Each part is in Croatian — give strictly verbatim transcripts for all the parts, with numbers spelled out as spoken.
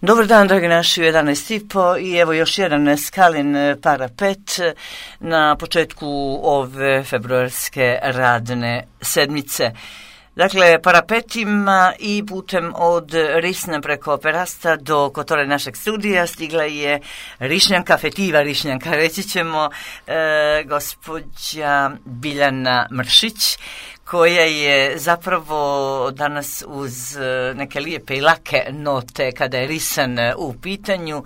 Dobar dan, dragi naši, u jedanaest i po i evo još jedan Skalin parapet na početku ove februarske radne sedmice. Dakle, parapetima i putem od Risna preko Perasta do kotore našeg studija stigla je Rišnjanka, fetiva Rišnjanka, reći ćemo, e, gospođa Biljana Mršić, koja je zapravo danas uz neke lijepe i lake note kada je Risan u pitanju,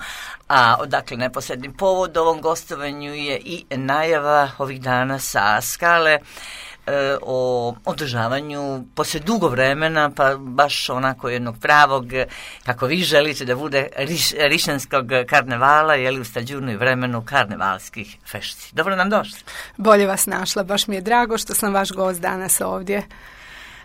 a odakle neposredni povod ovom gostovanju je i najava ovih dana sa Skale o održavanju poslije dugo vremena, pa baš onako jednog pravog, kako vi želite da bude, riš, rišanskog karnevala, jeli u stađunu i vremenu karnevalskih fešti. Dobro nam došli. Bolje vas našla, baš mi je drago što sam vaš gost danas ovdje.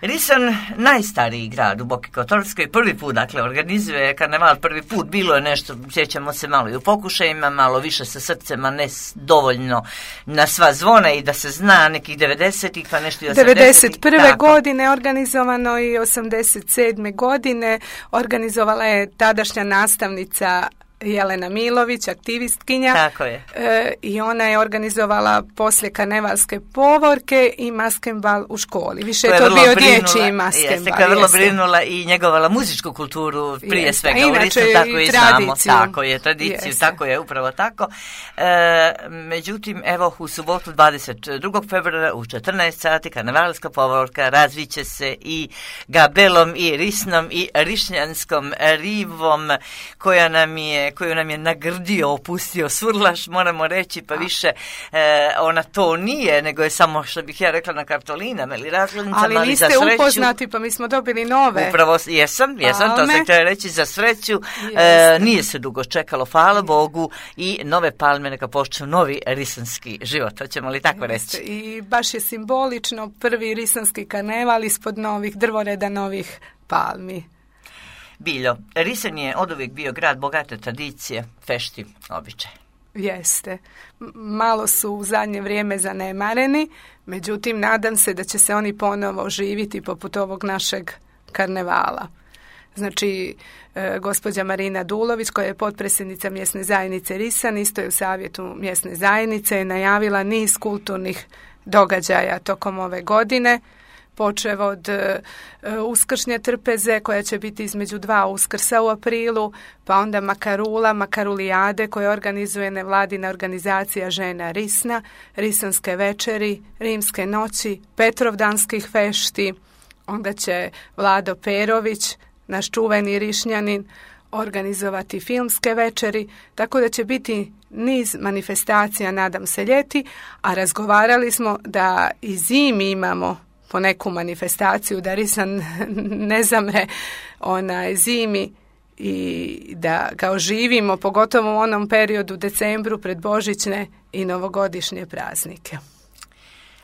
Risan, najstariji grad u Boki Kotorskoj, prvi put, dakle, organizuje karneval, prvi put, bilo je nešto, sjećamo se malo i u pokušajima, malo više sa srcem, a ne dovoljno na sva zvona i da se zna nekih devedesetih, pa nešto i osamdesetih. devedeset prve godine organizovano i osamdeset sedme godine organizovala je tadašnja nastavnica Jelena Milović, aktivistkinja. Tako je. E, I ona je organizovala poslije karnevalske povorke i maskenbal u školi. Više je to, to bio dječji maskenbal. Jeste, koja je vrlo brinula i njegovala muzičku kulturu prije jeste, svega. U Risnu, tako i znamo. Tako je, tradiciju, jeste. Tako je, upravo tako. E, međutim, evo, u subotu dvadeset drugog februara u četrnaest sati karnevalska povorka razviće se i Gabelom i Risnom i Rišnjanskom rivom koja nam je koju nam je nagrdio, opustio Surlaš, moramo reći, pa više e, ona to nije, nego je samo, što bih ja rekla, na kartolinama ili razglednicama, ali, ali niste za sreću, upoznati, pa mi smo dobili nove. Upravo, jesam, jesam, to sam htjela reći, za sreću, e, nije se dugo čekalo, hvala Bogu, i nove palme neka počnu novi risanski život, hoćemo li tako reći? I baš je simbolično prvi risanski karneval ispod novih drvoreda, novih palmi. Biljo, Risan je oduvijek bio grad bogate tradicije, fešti, običaj. Jeste. Malo su u zadnje vrijeme zanemareni, međutim nadam se da će se oni ponovo oživiti poput ovog našeg karnevala. Znači, e, gospođa Marina Dulović, koja je potpredsjednica mjesne zajednice Risan, isto je u savjetu mjesne zajednice, je najavila niz kulturnih događaja tokom ove godine, počev od uh, uskršnje trpeze koja će biti između dva uskrsa u aprilu, pa onda Makarula, Makarulijade koje organizuje nevladina organizacija žena Risna, Risanske večeri, Rimske noći, Petrovdanskih fešti, onda će Vlado Perović, naš čuveni Rišnjanin, organizovati filmske večeri, tako da će biti niz manifestacija, nadam se, ljeti, a razgovarali smo da i zimi imamo po neku manifestaciju, da Risan ne zamre onaj zimi i da ga oživimo, pogotovo u onom periodu decembru pred božićne i novogodišnje praznike.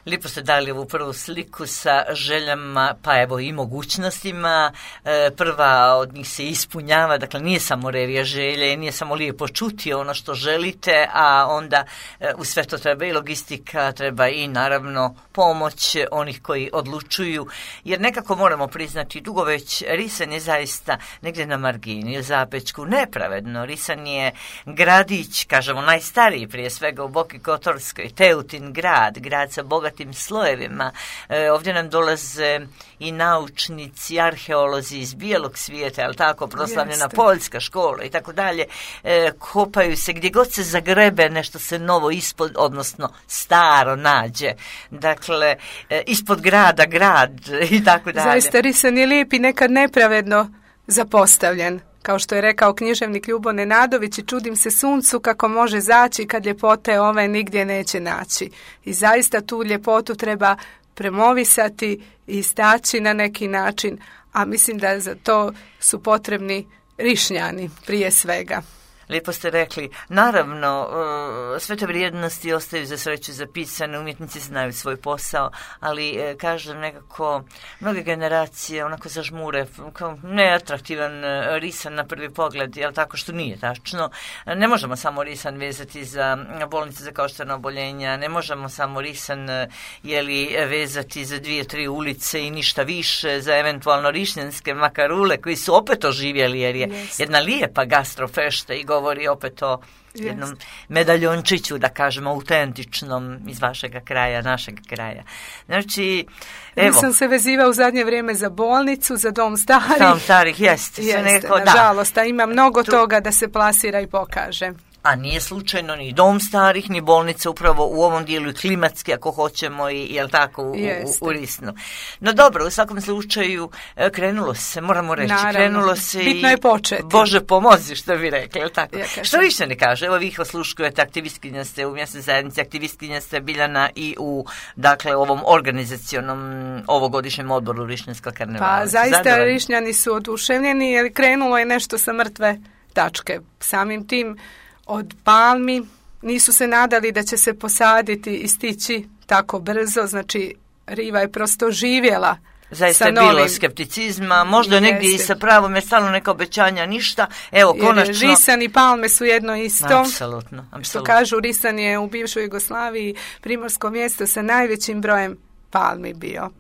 Lijepo ste dali ovu prvu sliku sa željama, pa evo i mogućnostima. E, prva od njih se ispunjava, dakle nije samo revija želje, nije samo lijepo čuti ono što želite, a onda e, u sve to treba i logistika, treba i naravno pomoć onih koji odlučuju, jer nekako moramo priznati, dugo već Risan je zaista negdje na margini, u zapečku, nepravedno. Risan je gradić, kažemo najstariji prije svega u Boki Kotorskoj, Teutin grad, grad sa bogatim tim slojevima. E, ovdje nam dolaze i naučnici, arheolozi iz bijelog svijeta, ali tako, proslavljena Jeste. Poljska škola i tako dalje. E, kopaju se, gdje god se zagrebe nešto se novo ispod, odnosno staro nađe. Dakle, e, ispod grada grad i tako dalje. Zaista Risan je lijep i nekad nepravedno zapostavljen. Kao što je rekao književnik Ljubo Nenadović, i čudim se suncu kako može zaći kad ljepote ove nigdje neće naći. I zaista tu ljepotu treba promovisati i istaći na neki način, a mislim da za to su potrebni Rišnjani prije svega. Lijepo ste rekli. Naravno, sve te vrijednosti ostaju za sreću zapisane, umjetnici znaju svoj posao, ali kažem nekako, mnoge generacije onako zažmure, kao neatraktivan risan na prvi pogled, jel tako, što nije tačno. Ne možemo samo risan vezati za bolnice za koštana oboljenja, ne možemo samo risan jeli, vezati za dvije, tri ulice i ništa više, za eventualno rišnjanske makarule koji su opet oživjeli, jer je yes. jedna lijepa gastrofešta i govori opet o jednom yes. medaljončiću, da kažemo, autentičnom iz vašeg kraja, našeg kraja. Znači, evo. Nisam se vezivao u zadnje vrijeme za bolnicu, za dom starih. Dom starih, jeste. Jeste, neko, nažalost, da. a ima mnogo tu... toga da se plasira i pokaže. A nije slučajno ni dom starih, ni bolnica upravo u ovom dijelu i klimatski, ako hoćemo, i jel tako, u, u, u Risnu. No dobro, u svakom slučaju krenulo se, moramo reći, Naravno. krenulo se Bitno i je početi. Bože pomozi, što bi rekli, jel tako? Ja Što više ne kaže, evo vi ih osluškujete, aktivistkinja ste u mjesnoj zajednici, aktivistkinja ste Biljana i u, dakle, ovom organizacionom ovogodišnjem odboru Rišnjanskog karnevala. Pa zaista Zadovoljni? Rišnjani su oduševljeni, jer krenulo je nešto sa mrtve tačke. Samim tim od palmi nisu se nadali da će se posaditi i stići tako brzo, znači riva je prosto živjela. Zaista je bilo novim... skepticizma, možda jeste. Negdje i sa pravom, jer stalno neka obećanja, ništa. Evo, jer konačno... Risan i palme su jedno isto. Apsolutno, apsolutno. Što kažu, Risan je u bivšoj Jugoslaviji primorsko mjesto sa najvećim brojem palmi bio.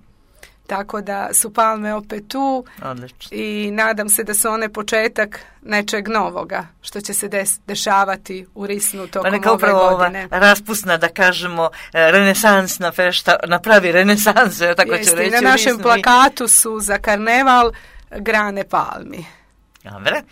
Tako da su palme opet tu. Odlično. I nadam se da su one početak nečeg novoga što će se des, dešavati u Risnu tokom pa neka ove upravo godine. Ova raspusna, da kažemo, renesansna fešta napravi renesansu, ja tako Jeste, ću reći. Na našem Risnu plakatu su za karneval grane palmi. Dobre.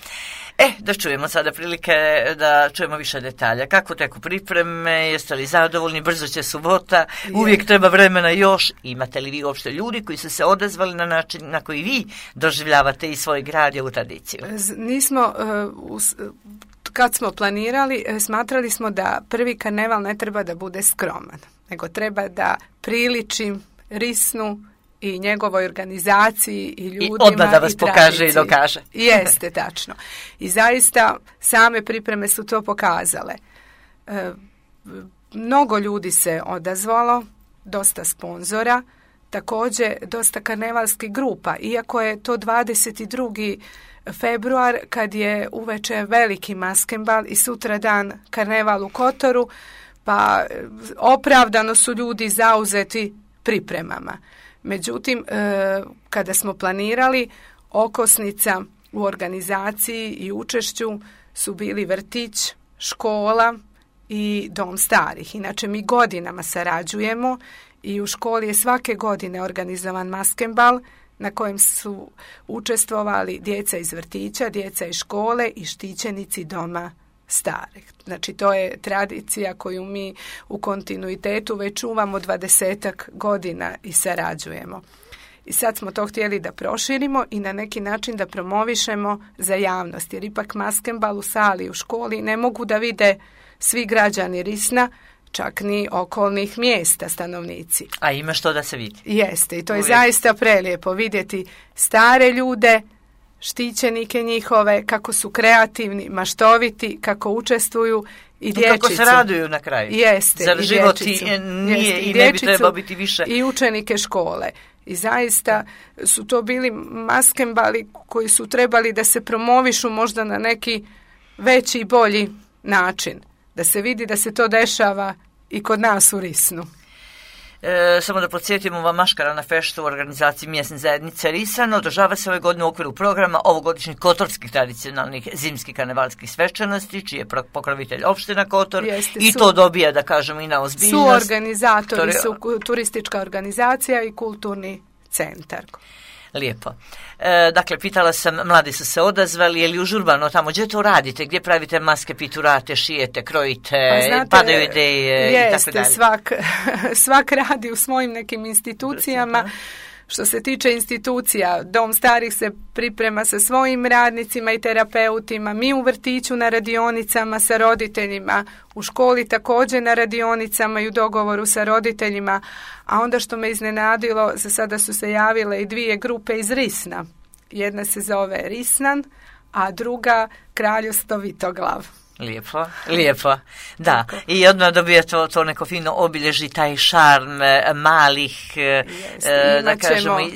E, da čujemo sada prilike da čujemo više detalja. Kako teku pripreme, jeste li zadovoljni, brzo će subota, uvijek je. Treba vremena još. Imate li vi uopšte ljudi koji su se odazvali na način na koji vi doživljavate i svoj grad i ovu tradiciju? Nismo, uh, us, kad smo planirali, smatrali smo da prvi karneval ne treba da bude skroman, nego treba da priliči Risnu i njegovoj organizaciji i ljudima i tradiciji. I odmah da vas pokaže i dokaže. Jeste, tačno. I zaista same pripreme su to pokazale. E, mnogo ljudi se odazvalo, dosta sponzora, također dosta karnevalskih grupa, iako je to dvadeset drugi februar kad je uveče veliki maskembal i sutra dan karneval u Kotoru, pa opravdano su ljudi zauzeti pripremama. Međutim, e, kada smo planirali, okosnica u organizaciji i učešću su bili vrtić, škola i dom starih. Inače, mi godinama sarađujemo i u školi je svake godine organizovan maskembal na kojem su učestvovali djeca iz vrtića, djeca iz škole i štićenici doma starih. Znači, to je tradicija koju mi u kontinuitetu već čuvamo dvadesetak godina i sarađujemo. I sad smo to htjeli da proširimo i na neki način da promovišemo za javnost, jer ipak maskembal u sali u školi ne mogu da vide svi građani Risna, čak ni okolnih mjesta stanovnici. A ima što da se vidi. Jeste, i to je Uvijek. Zaista prelijepo vidjeti stare ljude, štićenike njihove, kako su kreativni, maštoviti, kako učestvuju i dječicu. I kako se raduju na kraju. Jeste, Zar i život dječicu. I, nije Jeste, i, i ne bi trebao biti više. I učenike škole. I zaista su to bili maskembali koji su trebali da se promovišu možda na neki veći i bolji način. Da se vidi da se to dešava i kod nas u Risnu. E, samo da podsjetimo, ova maškarana fešta u organizaciji mjesne zajednice Risan održava se ove godine u okviru programa ovogodišnjih kotorskih tradicionalnih zimskih karnevalskih svečanosti, čiji je pokrovitelj opština Kotor. Jeste, i su, to dobija, da kažemo, i na ozbiljnost. Su organizatori, su turistička organizacija i kulturni centar. Lijepo. E, dakle, pitala sam, mladi su se odazvali, je li užurbano tamo, gdje to radite, gdje pravite maske, piturate, šijete, krojite, pa znate, padaju ideje i tako dalje? Jeste, svak, svak radi u svojim nekim institucijama. Što se tiče institucija, dom starih se priprema sa svojim radnicima i terapeutima, mi u vrtiću na radionicama sa roditeljima, u školi također na radionicama i u dogovoru sa roditeljima, a onda što me iznenadilo, za sada su se javile i dvije grupe iz Risna. Jedna se zove Risnan, a druga Kraljevstvo Vitoglav. Lijepo, lijepo, da. I odmah dobija to, to neko fino obilježi, taj šarm malih, Jeste, e, da ćemo... kažemo, e,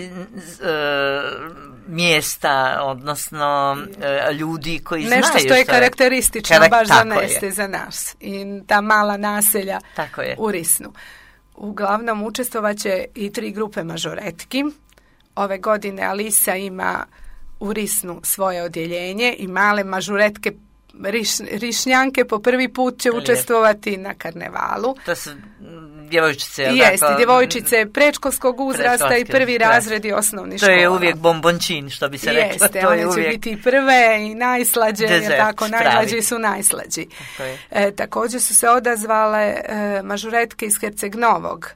mjesta, odnosno e, ljudi koji nešto znaju što je karakteristično Karak... baš za je. Neste, za nas. I ta mala naselja tako je. u Risnu. Uglavnom učestvovaće i tri grupe mažoretki. Ove godine Alisa ima u Risnu svoje odjeljenje i male mažuretke Riš, Rišnjanke po prvi put će učestvovati na karnevalu. To su djevojčice, jeste, tako? Djevojčice predškolskog uzrasta i prvi razredi osnovnih škola. To je uvijek bombončin, što bi se reklo. Jeste, to one je će uvijek... biti prve i najslađe, Dezert, tako, pravi. najslađi su najslađi. E, također su se odazvale e, mažuretke iz Herceg Novog,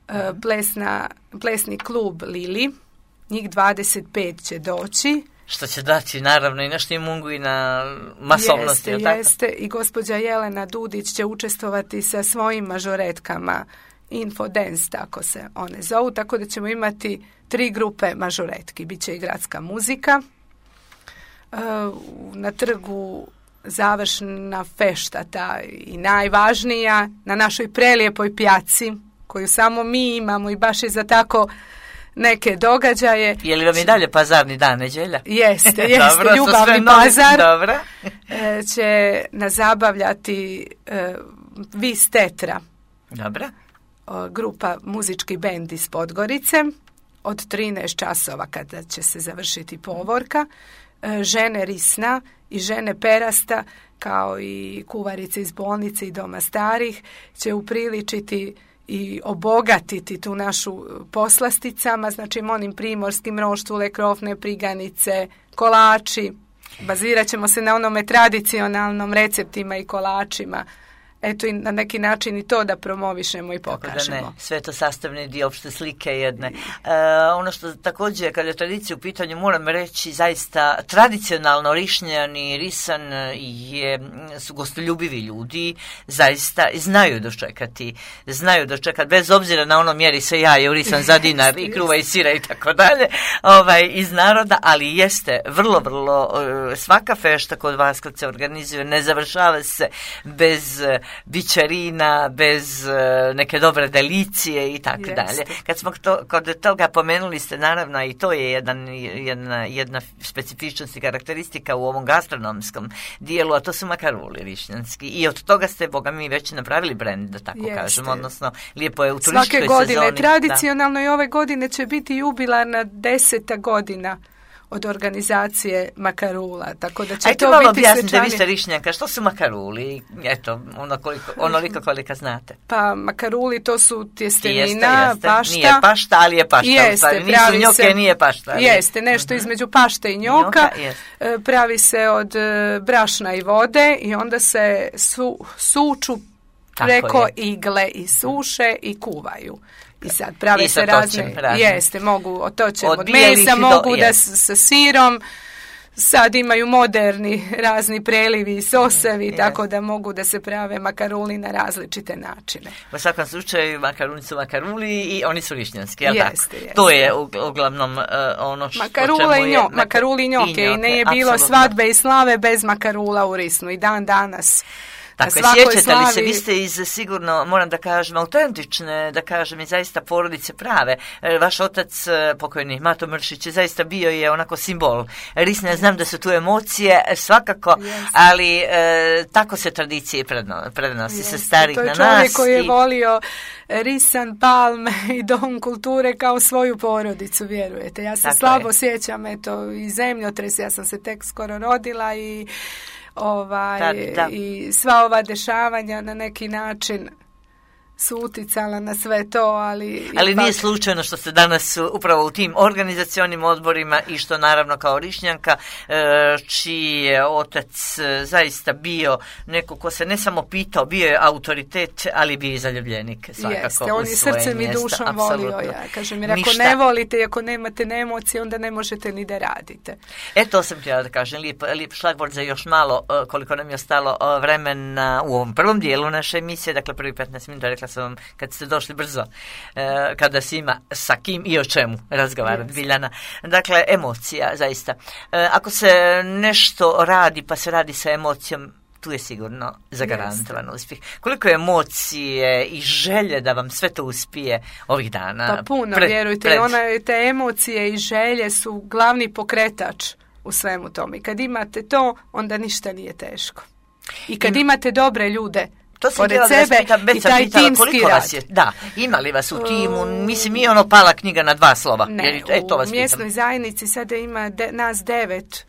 e, plesna, plesni klub Lili, njih dvadeset pet će doći. Što će dati naravno i na štimungu i na masovnosti. Jeste, jeste. I gospođa Jelena Dudić će učestvovati sa svojim mažoretkama Infodance, tako se one zovu, tako da ćemo imati tri grupe mažoretki. Biće i gradska muzika. Na trgu završna fešta, ta i najvažnija, na našoj prelijepoj pjaci, koju samo mi imamo i baš je za tako neke događaje. Je li vam i dalje pazarni dan, nedjelja? Jeste, jeste, dobro, ljubavni pazar. Dobro. Će nas zabavljati uh, Vis Tetra. Dobro. Uh, grupa muzički bend iz Podgorice od trinaest časova kada će se završiti povorka. Uh, žene Risna i žene Perasta kao i kuvarice iz bolnice i doma starih će upriličiti i obogatiti tu našu poslasticama, znači onim primorskim roštule, krofne, priganice, kolači. Bazirat ćemo se na onome tradicionalnom receptima i kolačima. Eto i na neki način i to da promovišemo i pokažemo. Da ne, sve to sastavni dio opšte slike jedne. E, ono što također, kada je tradicija u pitanju, moram reći, zaista tradicionalno Rišnjani, Risan je, su gostoljubivi ljudi, zaista znaju dočekati, znaju dočekati, bez obzira na ono mjeri se jaje u Risan za dinar i kruva i sira i tako dalje, ovaj, iz naroda, ali jeste vrlo, vrlo, svaka fešta kod vas kad se organizuje, ne završava se bez bićarina, bez uh, neke dobre delicije i tako dalje. Kad smo to, kod toga pomenuli ste, naravno, i to je jedan, jedna, jedna specifičnost i karakteristika u ovom gastronomskom dijelu, a to su makaruli rišnjanski. I od toga ste, boga mi, već napravili brend, da tako Jeste. kažem, odnosno lijepo je u turističkoj sezoni. Svake godine, tradicionalno da. I ove godine će biti jubilarna deseta godina od organizacije makarula, tako da će Ajde to malo biti objasnite, svečani... vi ste Rišnjanka, što su makaruli? Eto, ono koliko, onoliko koliko znate. Pa makaruli to su tjestenina, jeste, jeste. pašta. Nije pašta, ali je pašta. Jeste, nisu njoke, se, nije pašta. Ali... Jeste, nešto uh-huh. između pašte i njoka. njoka pravi se od brašna i vode i onda se su, suču preko igle i suše i kuvaju. I sad prave I se razne, razne, jeste, mogu, otočem od, od mesa, mogu do, da s, sa sirom, sad imaju moderni razni prelivi i sosevi, mm, tako da mogu da se prave makaruli na različite načine. U svakom slučaju makaruni su makaruli i oni su rišnjanski, jel jeste, tako? Jeste. To je uglavnom uh, ono što Makarula i njo, je... Makaruli i njoke, i, njoke, i ne je bilo apsolutno. Svadbe i slave bez makarula u Risnu i dan danas. Tako je, sjećate slavi... li se, vi ste iz sigurno, moram da kažem, autentične, da kažem, i zaista porodice prave. Vaš otac, pokojni Mato Mršić, je zaista bio je onako simbol Risne, znam da su tu emocije, svakako, yes. ali e, tako se tradicije predno, prenosi yes. se starih na nas. To je čovjek koji je i... volio Risan, Palme i Dom kulture kao svoju porodicu, vjerujete. Ja se tako slabo je. sjećam, eto, i zemljotres, ja sam se tek skoro rodila i... Ovaj, da, da. I sva ova dešavanja na neki način su uticala na sve to, ali... Ali ipak... nije slučajno što ste danas upravo u tim organizacionim odborima i što naravno kao Rišnjanka, čiji je otac zaista bio neko ko se ne samo pitao, bio je autoritet, ali bio i zaljubljenik svakako. Jeste, on je srcem i dušom volio, ja kažem, jer ako Ništa. ne volite i ako nemate ne emocije, onda ne možete ni da radite. E, to sam htjela da kažem, lijep, lijep šlagvord za još malo, koliko nam je ostalo vremena u ovom prvom dijelu naše emisije, dakle prvi petnaest minuta, rekla sam vam kad ste došli brzo, eh, kada se ima sa kim i o čemu razgovarati, yes. Biljana. Dakle, emocija, zaista. Eh, ako se nešto radi, pa se radi sa emocijom, tu je sigurno zagarantovan uspjeh. Koliko je emocije i želje da vam sve to uspije ovih dana? Pa puno, pred, vjerujte, pred... Ona, te emocije i želje su glavni pokretač u svemu tome. I kad imate to, onda ništa nije teško. I kad I... imate dobre ljude, to se pored sebe sebe pita, i taj timski rad. Vas je, da, imali vas u timu, uh, mislim, nije ono pala knjiga na dva slova. Ne, jer, e, to vas u mjesnoj zajednici sada ima de, nas devet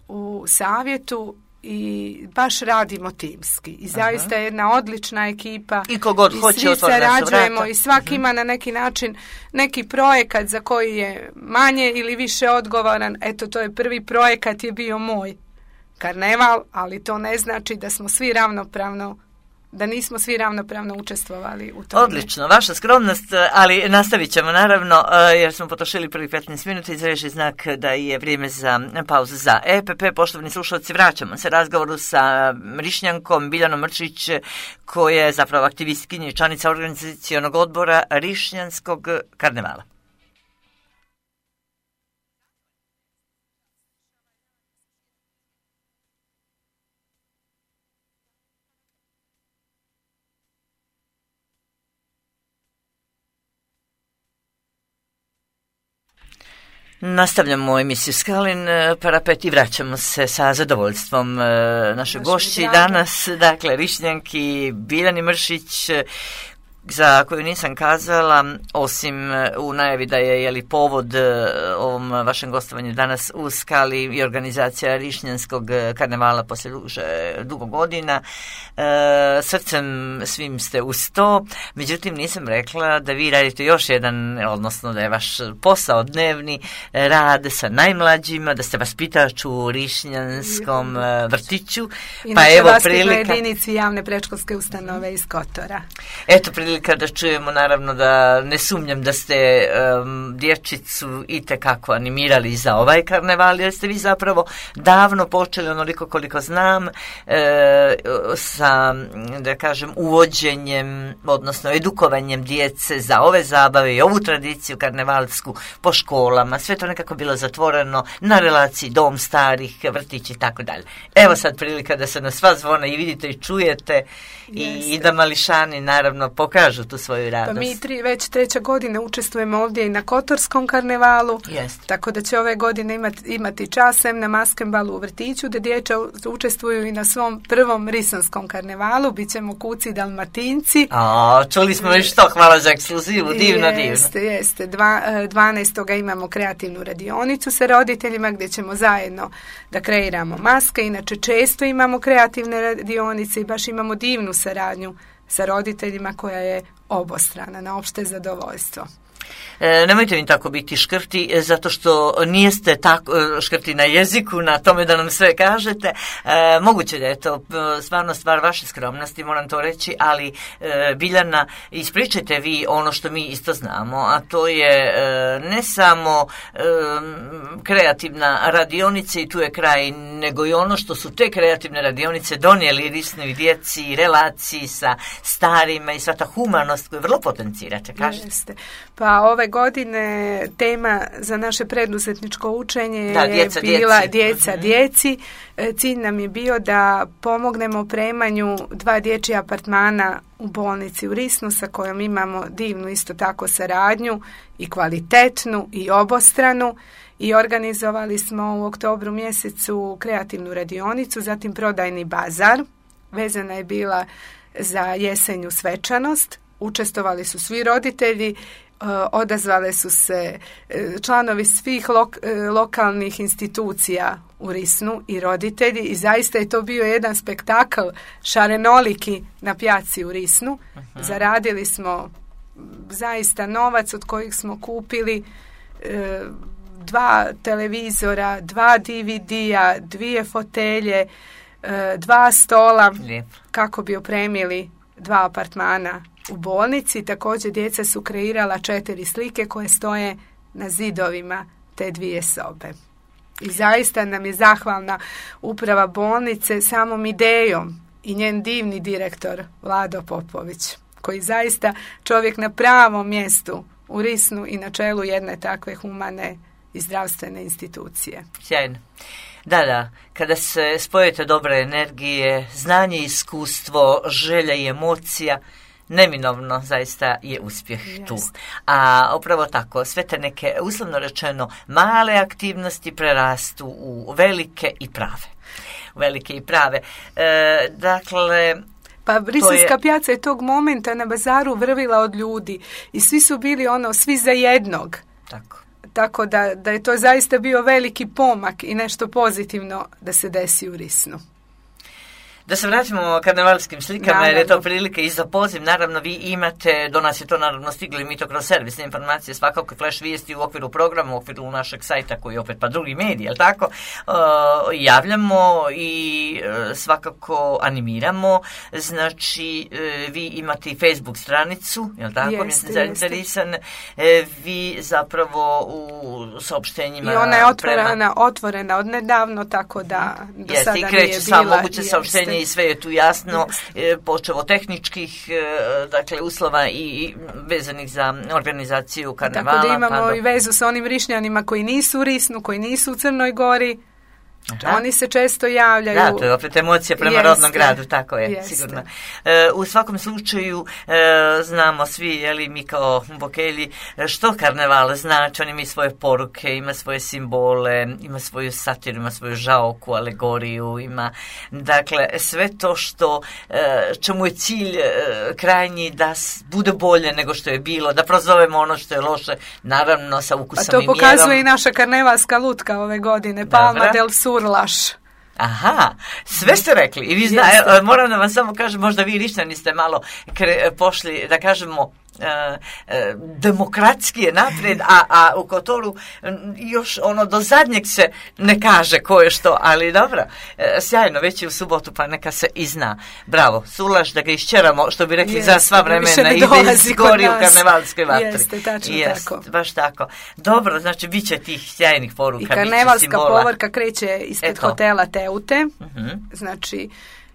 u savjetu i baš radimo timski. I zaista je jedna odlična ekipa. I kogod i hoće svi sarađujemo i svaki uh-huh. ima na neki način neki projekat za koji je manje ili više odgovoran. Eto, to je prvi projekat je bio moj karneval, ali to ne znači da smo svi ravnopravno da nismo svi ravnopravno učestvovali u tome. Odlično, vaša skromnost, ali nastavit ćemo naravno, jer smo potrošili prvih petnaest minuta, izreži znak da je vrijeme za pauzu za E P P. Poštovani slušalci, vraćamo se razgovoru sa Rišnjankom Biljanom Mrčić, koja je zapravo aktivistkinja i članica organizacionog odbora Rišnjanskog karnevala. Nastavljamo emisiju Skalin parapet i vraćamo se sa zadovoljstvom našoj gošći danas, dakle Rišnjanki Biljani Mršić, za koju nisam kazala, osim u najavi da je jeli povod ovom vašem gostovanju danas u Skali i organizacija Rišnjanskog karnevala poslije duže, dugo godina. E, srcem svim ste uz to, međutim nisam rekla da vi radite još jedan, odnosno da je vaš posao dnevni rad sa najmlađima, da ste vaspitač u Rišnjanskom vrtiću. Inače, pa evo prilika jedinici javne predškolske ustanove iz Kotora. Eto prilika da čujemo, naravno da ne sumnjam da ste um, dječicu itekako animirali za ovaj karneval, jer ste vi zapravo davno počeli, onoliko koliko znam, e, sa, da kažem, uvođenjem, odnosno edukovanjem djece za ove zabave i ovu tradiciju karnevalsku po školama. Sve to nekako bilo zatvoreno na relaciji dom starih, vrtići i tako dalje. Evo sad prilika da se na sva zvona i vidite i čujete i, i da mališani naravno pokažu tu svoju radost. Pa mi tri, već treća godina učestvujemo ovdje i na Kotorskom karnevalu, Jest. tako da će ove godine imati, imati časem na Maskenbalu u vrtiću, da djeca učestvuju i na svom prvom Risanskom karnevalu, bit ćemo kuci Dalmatinci. A, čuli smo već to, hvala za ekskluzivu, divno, jeste, divno. Jeste, jeste. Dva, dvanaestog imamo kreativnu radionicu sa roditeljima gdje ćemo zajedno da kreiramo maske, inače često imamo kreativne radionice i baš imamo divnu saradnju sa roditeljima koja je obostrana na opšte zadovoljstvo. E, nemojte mi tako biti škrti, zato što nijeste tako škrti na jeziku, na tome da nam sve kažete. E, moguće da je to stvarno stvar vaše skromnosti, moram to reći, ali e, Biljana, ispričajte vi ono što mi isto znamo, a to je e, ne samo e, kreativna radionica i tu je kraj, nego i ono što su te kreativne radionice donijeli risnoj djeci, relaciji sa starima i sva ta humanost koju vrlo potencirate, kažete. Jeste. Pa ove godine tema za naše preduzetničko učenje da, djeca, je bila djeci. djeca uh-huh. djeci. Cilj nam je bio da pomognemo opremanju dva dječja apartmana u bolnici u Risnu, sa kojom imamo divnu isto tako saradnju i kvalitetnu i obostranu, i organizovali smo u oktobru mjesecu kreativnu radionicu, zatim prodajni bazar. Vezana je bila za jesenju svečanost. Učestvovali su svi roditelji, odazvale su se članovi svih lok, lokalnih institucija u Risnu i roditelji, i zaista je to bio jedan spektakl šarenoliki na pjaci u Risnu. Uh-huh. Zaradili smo zaista novac od kojih smo kupili e, dva televizora, dva D V D-a, dvije fotelje, e, dva stola, Lijep. kako bi opremili dva apartmana u bolnici. Također djeca su kreirala četiri slike koje stoje na zidovima te dvije sobe. I zaista nam je zahvalna uprava bolnice samom idejom i njen divni direktor Vlado Popović, koji zaista čovjek na pravom mjestu u Risnu i na čelu jedne takve humane i zdravstvene institucije. Sjajno. Da, da, kada se spojite dobre energije, znanje, iskustvo, želja i emocija, neminovno zaista je uspjeh yes. tu. A upravo tako, sve te neke, uslovno rečeno, male aktivnosti prerastu u velike i prave. Velike i prave. E, dakle... Pa Briselska je... pijaca je tog momenta na bazaru vrvila od ljudi i svi su bili ono, svi za jednog. Tako. Tako da, da je to zaista bio veliki pomak i nešto pozitivno da se desi u Risnu. Da se vratimo karnevalskim slikama, naravno. Jer je to prilike i za poziv. Naravno, vi imate, do nas je to naravno stiglo i mi to kroz servisne informacije, svakako flash vijesti u okviru programa, u okviru našeg sajta koji je opet pa drugi medij, jel tako? Uh, javljamo i uh, svakako animiramo. Znači, uh, vi imate i Facebook stranicu, jel tako? Jeste, zainteresan. Uh, vi zapravo u saopštenjima... I ona je otvorena, prema... otvorena od nedavno, tako da do jeste, sada nije bila. Jeste, i kreće sva moguće saopštenje i sve je tu jasno, e, počevo tehničkih e, dakle, uslova i vezanih za organizaciju karnevala. Tako da imamo pa do... i vezu sa onim Rišnjanima koji nisu u Risnu, koji nisu u Crnoj Gori. Aha. Oni se često javljaju. Da, to je opet emocija prema jeste, rodnom gradu, tako je, jeste. Sigurno. E, u svakom slučaju e, znamo svi, jeli, mi kao bokelji, što karneval znači, on ima svoje poruke, ima svoje simbole, ima svoju satiru, ima svoju žaoku, alegoriju, ima, dakle, sve to što, e, čemu je cilj e, krajnji da bude bolje nego što je bilo, da prozovemo ono što je loše, naravno sa ukusom i mjerom. A to pokazuje i naša karnevalska lutka ove godine, Palma del Surlaš. Aha, sve ste rekli i vi zna, moram da vam samo kažem, možda vi Rišćani ste malo kre, pošli, da kažemo, E, e, demokratski je naprijed, a, a u Kotoru još ono do zadnjeg se ne kaže ko je što, ali dobro, e, sjajno, već je u subotu pa neka se i zna. Bravo, Sulaš da ga išćeramo, što bi rekli Jest, za sva vremena i da izgori u karnevalskoj vatri. Jeste, tačno Jest, tako. Baš tako. Dobro, znači bit će tih sjajnih poruka. I karnevalska povorka kreće ispred Eto. hotela Teute, uh-huh. znači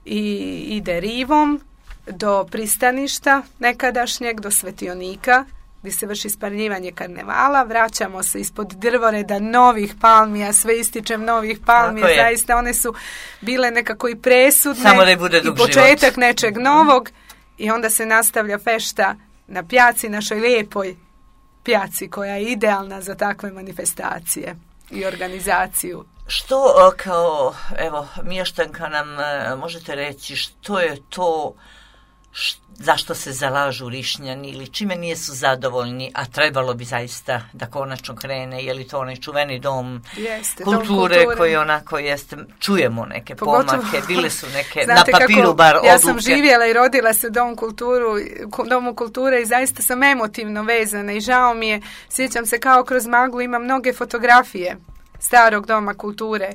i ide rivom do pristaništa nekadašnjeg, do Svetionika, gdje se vrši spaljivanje karnevala. Vraćamo se ispod drvoreda novih palmija, sve ističem novih palmija, zaista one su bile nekako i presudne. Samo da bude i početak život. Nečeg novog i onda se nastavlja fešta na pjaci, našoj lijepoj pjaci koja je idealna za takve manifestacije i organizaciju. Što kao, evo, mještanka nam možete reći, što je to Š, zašto se zalažu Rišnjani ili čime nisu zadovoljni, a trebalo bi zaista da konačno krene, je li to onaj čuveni dom, jeste, kulture, dom kulture koji onako jeste, čujemo neke Pogotovo, pomake, bile su neke znate na papiru kako, bar odluke. Ja sam živjela i rodila se u dom kulturu, domu kulture i zaista sam emotivno vezana i žao mi je, sjećam se kao kroz maglu, imam mnoge fotografije starog doma kulture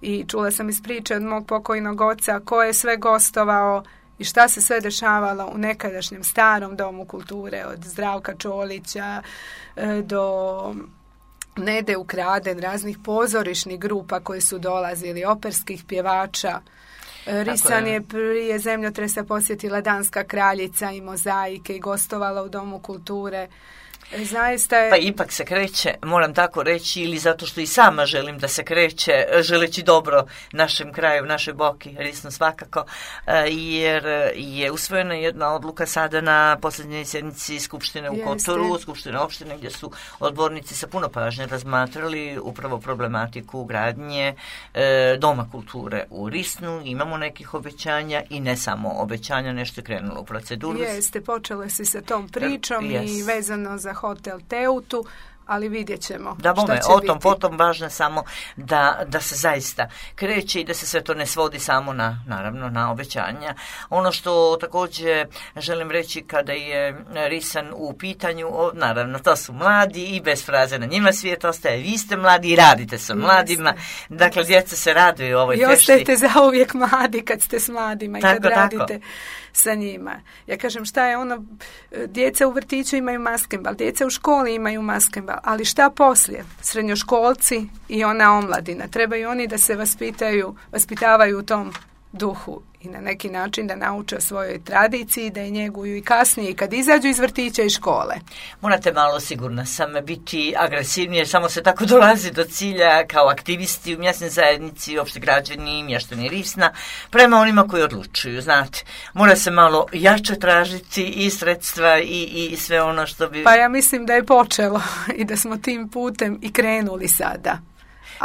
i čula sam iz priče od mog pokojnog oca ko je sve gostovao i šta se sve dešavalo u nekadašnjem starom domu kulture, od Zdravka Čolića do Nede Ukraden, raznih pozorišnih grupa koji su dolazili, operskih pjevača. Risan je prije zemljotresa posjetila Danska kraljica i mozaike i gostovala u domu kulture. Zaista je... Pa ipak se kreće, moram tako reći, ili zato što i sama želim da se kreće, želeći dobro našem kraju, našoj Boki, Risno svakako, jer je usvojena jedna odluka sada na posljednjoj sjednici Skupštine u Kotoru, Skupštine opštine, gdje su odbornici sa puno pažnje razmatrali upravo problematiku gradnje e, Doma kulture u Risnu. Imamo nekih obećanja i ne samo obećanja, nešto je krenulo u proceduru. Jeste, počelo se sa tom pričom yes. i vezano za hotel Teutu, ali vidjet ćemo da, šta bome, će o biti. tom potom važno samo da, da se zaista kreće i da se sve to ne svodi samo na, naravno, na obećanja. Ono što također želim reći kada je Risan u pitanju, o, naravno, to su mladi i bez fraze na njima svijet ostaje. Vi ste mladi i radite sa mladima. Jeste. Dakle, djeca se raduju ovoj fešti. I ostajete zauvijek mladi kad ste s mladima i tako, kad tako. radite sa njima. Ja kažem, šta je ono, djeca u vrtiću imaju maskembal, djeca u školi imaju maskembal, ali šta poslije? Srednjoškolci i ona omladina. Trebaju oni da se vaspitaju, vaspitavaju u tom duhu i na neki način da nauče o svojoj tradiciji, da je njeguju i kasnije kad izađu iz vrtića i škole. Morate malo, sigurna sam, biti agresivni jer samo se tako dolazi do cilja kao aktivisti u mjesnoj zajednici, opšte građani, mještani Risna, prema onima koji odlučuju, znate. Mora se malo jače tražiti i sredstva i, i sve ono što bi... Pa ja mislim da je počelo i da smo tim putem i krenuli sada.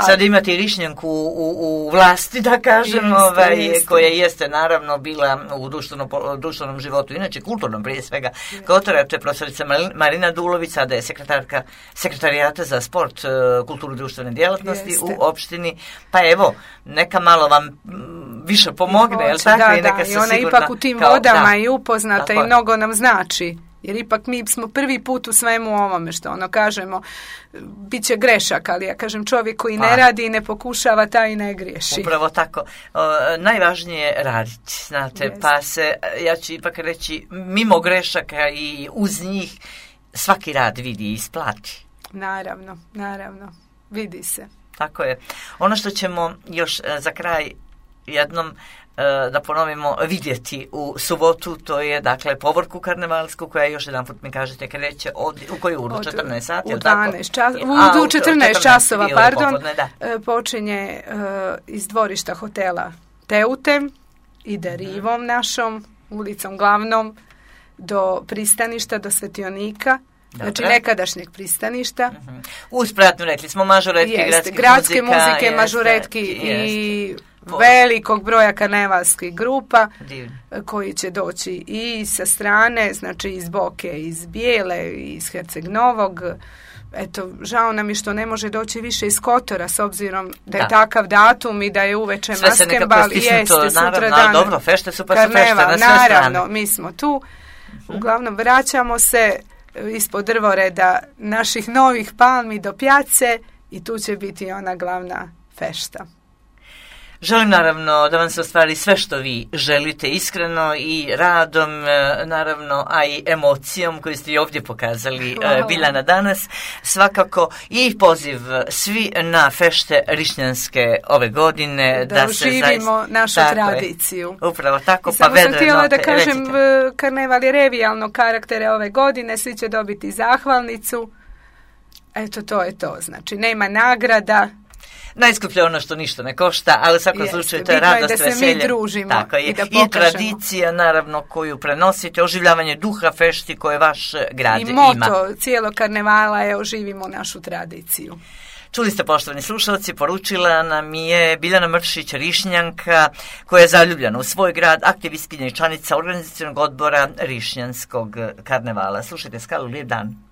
Sad imate i Rišnjanku u, u, u vlasti, da kažem, jeste, ovaj, jeste. koja jeste naravno bila u društvenom, društvenom životu, inače kulturnom prije svega. Kotora, to je profesorica Marina Dulović, sada je sekretarka sekretarijata za sport, kulturu i društvene djelatnosti jeste. u opštini. Pa evo, neka malo vam više pomogne, jel tako? Da, I neka da, se i ona sigurna, ipak u tim kao, vodama da, i upoznata i mnogo nam znači. Jer ipak mi smo prvi put u svemu ovome što ono kažemo, bit će grešak, ali ja kažem čovjek koji pa, ne radi i ne pokušava, taj i ne griješi. Upravo tako. O, najvažnije je raditi, znate, Jest. pa se, ja ću ipak reći, mimo grešaka i uz njih svaki rad vidi i isplati. Naravno, naravno, vidi se. Tako je. Ono što ćemo još za kraj jednom da ponovimo vidjeti u subotu, to je dakle povorku karnevalsku koja još jedan put mi kažete kreće od, u koju uru, četrnaest sati? U dvanaest čas, u, u četrnaest časova, pardon, popodne, počinje uh, iz dvorišta hotela Teute, ide rivom našom, ulicom glavnom, do pristaništa, do Svetionika. Dobre. Znači nekadašnjeg pristaništa. Uh-huh. Uspratno rekli smo mažoretki, jeste, gradske muzika, muzike, jeste, mažoretki i velikog broja karnevalskih grupa Divno. koji će doći i sa strane, znači iz Boke, iz Bijele, iz Herceg Novog. Eto, žao nam je što ne može doći više iz Kotora s obzirom da je da. takav datum i da je uveče maskembal. Jeste, sutra dan dobro, fešte su pa su karneval, fešte na sve naravno, strane. mi smo tu. Uglavnom, vraćamo se ispod drvoreda naših novih palmi do pjace i tu će biti ona glavna fešta. Želim naravno da vam se ostvari sve što vi želite iskreno i radom, naravno, a i emocijom koju ste i ovdje pokazali wow. Biljana danas. Svakako i poziv svi na fešte rišnjanske ove godine. Da, da uživimo se zaista, našu tako tradiciju. Je, upravo tako. I pa samo sam htjela note, da kažem, recite. karneval je revijalnog karaktera ove godine, svi će dobiti zahvalnicu. Eto, to je to. Znači, nema nagrada. Najskuplje ono što ništa ne košta, ali u svakom slučaju to je radost, da se veselje. Mi družimo Tako je. I da I tradicija, naravno, koju prenosite, oživljavanje duha fešti koje vaš grad ima. I moto ima. Cijelog karnevala je oživimo našu tradiciju. Čuli ste, poštovani slušalci, poručila nam je Biljana Mršić, Rišnjanka, koja je zaljubljena u svoj grad, aktivistkinja i članica organizacionog odbora Rišnjanskog karnevala. Slušajte, Skalu, lijep dan.